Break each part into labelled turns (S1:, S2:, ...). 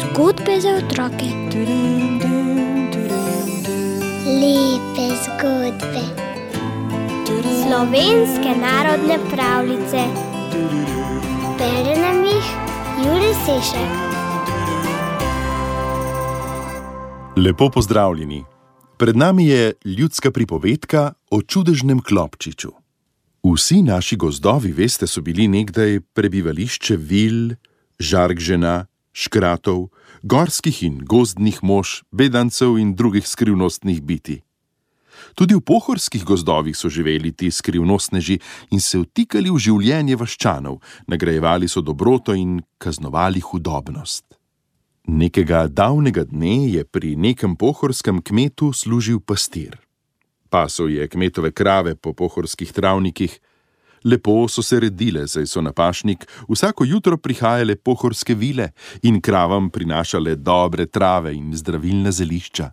S1: Zgodbe za otroke.
S2: Lepe zgodbe.
S1: Slovenske narodne pravljice.
S2: Bere nam jih Jure Sešek.
S3: Lepo pozdravljeni. Pred nami je ljudska pripovedka o čudežnem klopčiču. Vsi naši gozdovi, veste, so bili nekdaj prebivališče vil, žarkžena, škratov, gorskih in gozdnih mož, bedancev in drugih skrivnostnih bitij. Tudi v pohorskih gozdovih so živeli ti skrivnostneži in se vtikali v življenje vaščanov, nagrajevali so dobroto in kaznovali hudobnost. Nekega davnega dne je pri nekem pohorskem kmetu služil pastir. Pasel je kmetove krave po pohorskih travnikih. Lepo so se redile, saj so na pašnik vsako jutro prihajale pohorske vile in kravam prinašale dobre trave in zdravilna zelišča.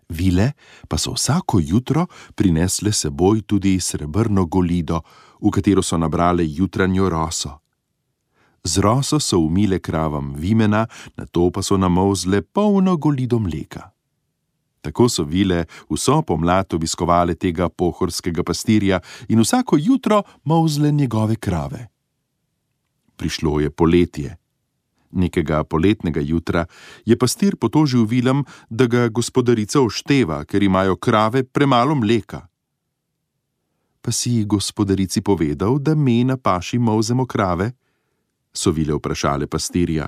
S3: Vile pa so vsako jutro prinesle seboj tudi srebrno golido, v katero so nabrale jutranjo roso. Z roso so umile kravam vimena, nato pa so namolzle polno golido mleka. Tako so vile vso pomlad obiskovale tega pohorskega pastirja in vsako jutro molzle njegove krave. Prišlo je poletje. Nekega poletnega jutra je pastir potožil vilam, da ga gospodarica ošteva, ker imajo krave premalo mleka. Pa si gospodarici povedal, da me na paši molzemo krave? So vile vprašale pastirja.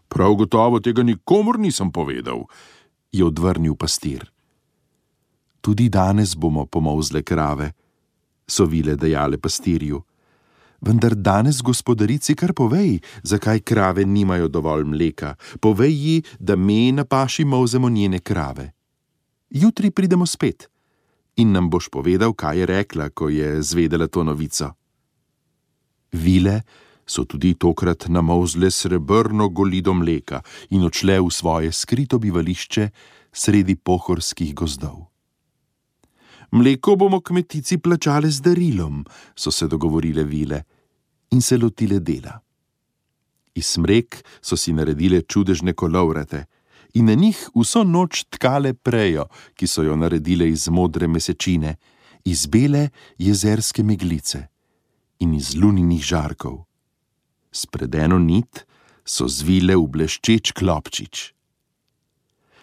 S3: Prav gotovo tega nikomur nisem povedal, je odvrnil pastir. Tudi danes bomo pomolzle krave, so vile dejale pastirju. Vendar danes gospodarici kar povej, zakaj krave nimajo dovolj mleka. Povej ji, da me na paši molzemo njene krave. Jutri pridemo spet in nam boš povedal, kaj je rekla, ko je zvedela to novico. Vile so tudi tokrat namolzle srebrno golido mleka in odšle v svoje skrito bivališče sredi pohorskih gozdov. Mleko bomo kmetici plačale z darilom, so se dogovorile vile in se lotile dela. Iz smrek so si naredile čudežne kolovrate in na njih vso noč tkale prejo, ki so jo naredile iz modre mesečine, iz bele jezerske meglice in iz luninih žarkov. Spred eno nit so zvile v bleščeč klopčič.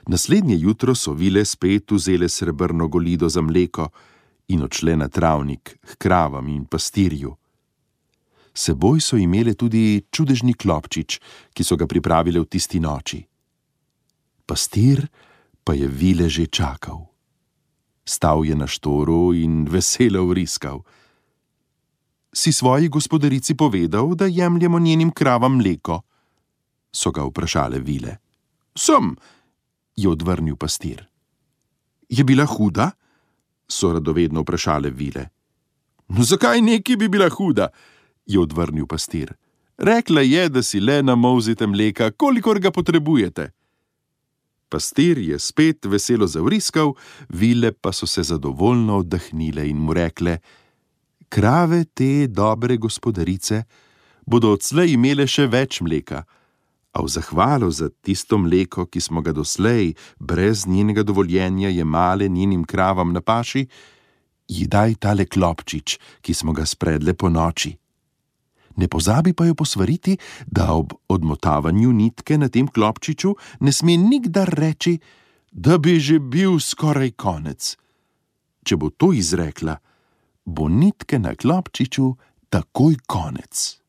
S3: Naslednje jutro so vile spet vzele srebrno golido za mleko in odšle na travnik k kravam in pastirju. Seboj so imele tudi čudežni klopčič, ki so ga pripravile v tisti noči. Pastir pa je vile že čakal. Stal je na štoru in veselo vriskal. Si svoji gospodarici povedal, da jemljemo njenim kravam mleko? So ga vprašale vile. Sem, je odvrnil pastir. Je bila huda? So radovedno vprašale vile. Zakaj neki bi bila huda? Je odvrnil pastir. Rekla je, da si le namolzite mleka, kolikor ga potrebujete. Pastir je spet veselo zavriskal, vile pa so se zadovoljno oddahnile in mu rekle: Krave te dobre gospodarice bodo odslej imele še več mleka, a v zahvalo za tisto mleko, ki smo ga doslej brez njenega dovoljenja jemale njenim kravam na paši, ji daj tale klopčič, ki smo ga spredle po noči. Ne pozabi pa jo posvariti, da ob odmotavanju nitke na tem klopčiču ne sme nikdar reči, da bi že bil skoraj konec. Če bo to izrekla, bo nitke na klopčiču takoj konec.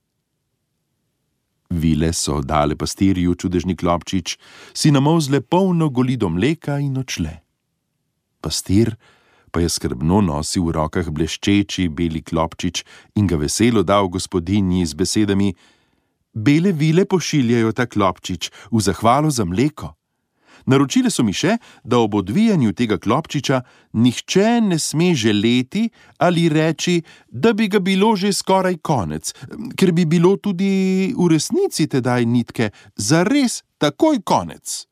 S3: Vile so dale pastirju čudežni klopčič, si namolzle polno golido mleka in odšle. Pastir pa je skrbno nosil v rokah bleščeči beli klopčič in ga veselo dal gospodinji z besedami: Bele vile pošiljajo ta klopčič v zahvalo za mleko. Naročile so mi še, da ob odvijanju tega klopčiča nihče ne sme želeti ali reči, da bi ga bilo že skoraj konec, ker bi bilo tudi v resnici tedaj nitke zares takoj konec.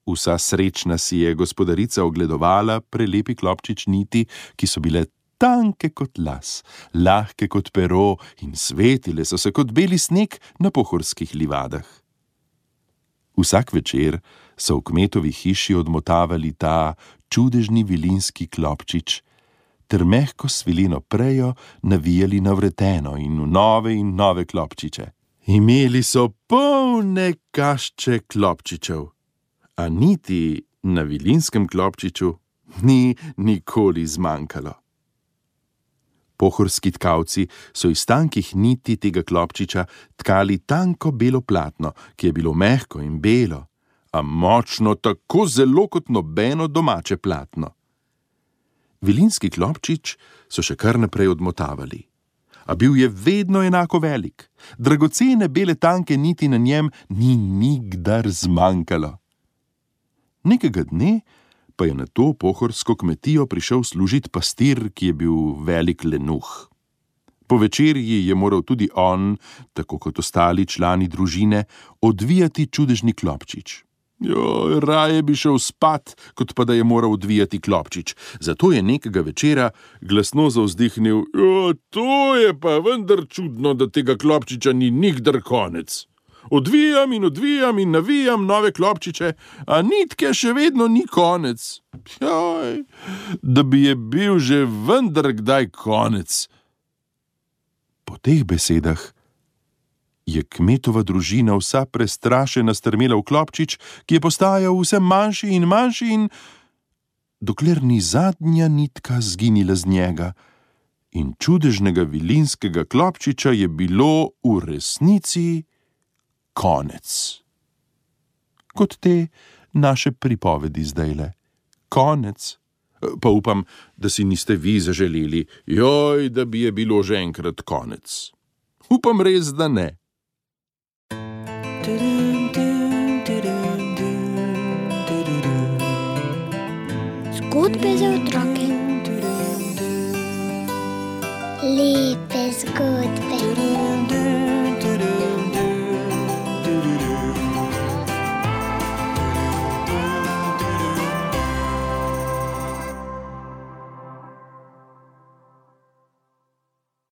S3: Vsa srečna si je gospodarica ogledovala prelepi klopčič niti, ki so bile tanke kot las, lahke kot pero in svetile so se kot beli sneg na pohorskih livadah. Vsak večer so v kmetovi hiši odmotavali ta čudežni vilinski klopčič ter mehko svileno prejo navijali na vreteno in v nove klopčiče. Imeli so polne kašče klopčičev, a niti na vilinskem klopčiču ni nikoli zmanjkalo. Pohorski tkavci so iz tankih niti tega klopčiča tkali tanko belo platno, ki je bilo mehko in belo, a močno tako zelo kot nobeno domače platno. Vilinski klopčič so še kar naprej odmotavali, a bil je vedno enako velik. Dragocene bele tanke niti na njem ni nikdar zmanjkalo. Nekega dne pa je na to pohorsko kmetijo prišel služit pastir, ki je bil velik lenuh. Po večerji je moral tudi on, tako kot ostali člani družine, odvijati čudežni klopčič. Raje bi šel spat, kot pa da je moral odvijati klopčič. Zato je nekega večera glasno zavzdihnil: to je pa vendar čudno, da tega klopčiča ni nikdar konec. Odvijam in navijam nove klopčiče, a nitke še vedno ni konec. Da bi je bil že vendar kdaj konec. Po teh besedah je kmetova družina vsa prestrašena strmela v klopčič, ki je postajal vse manjši in manjši in dokler ni zadnja nitka zginila z njega in čudežnega vilinskega klopčiča je bilo v resnici konec. Kot te naše pripovedi zdajle. Konec. Pa upam, da si niste vi zaželeli, da bi je bilo že enkrat konec. Upam res, da ne.
S1: Zgodbe za otroke.
S2: Lepe zgodbe.